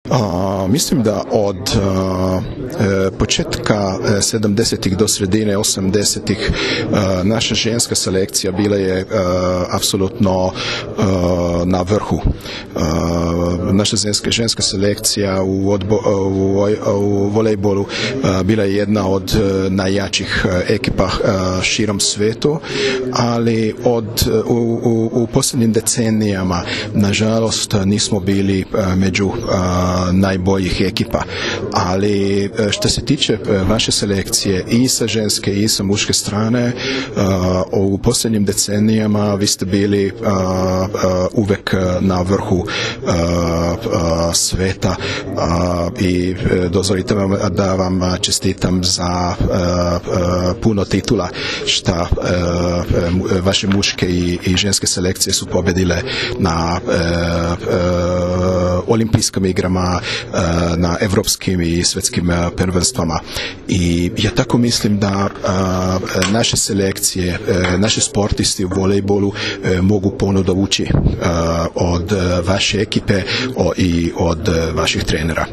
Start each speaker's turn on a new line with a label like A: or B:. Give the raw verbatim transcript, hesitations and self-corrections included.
A: A, mislim da od a, e, početka sedamdesetih do sredine osamdesetih a, naša ženska selekcija bila je a, apsolutno a, na vrhu. A, naša ženska, ženska selekcija u, odbo, u, u volejbolu a, bila je jedna od a, najjačih a, ekipa a, širom svetu, ali od, u, u, u posljednjim decenijama nažalost nismo bili a, među a, najboljih ekipa, ali što se tiče vaše selekcije i sa ženske i sa muške strane, u posljednjim decenijama vi ste bili uvek na vrhu sveta i dozvolite vam da vam čestitam za puno titula šta vaše muške i, i ženske selekcije su pobedile na olimpijskim igrama, na evropskim i svjetskim prvenstvama. I ja tako mislim da naše selekcije, naši sportisti u volejbolu mogu puno dovući od vaše ekipe i od vaših trenera.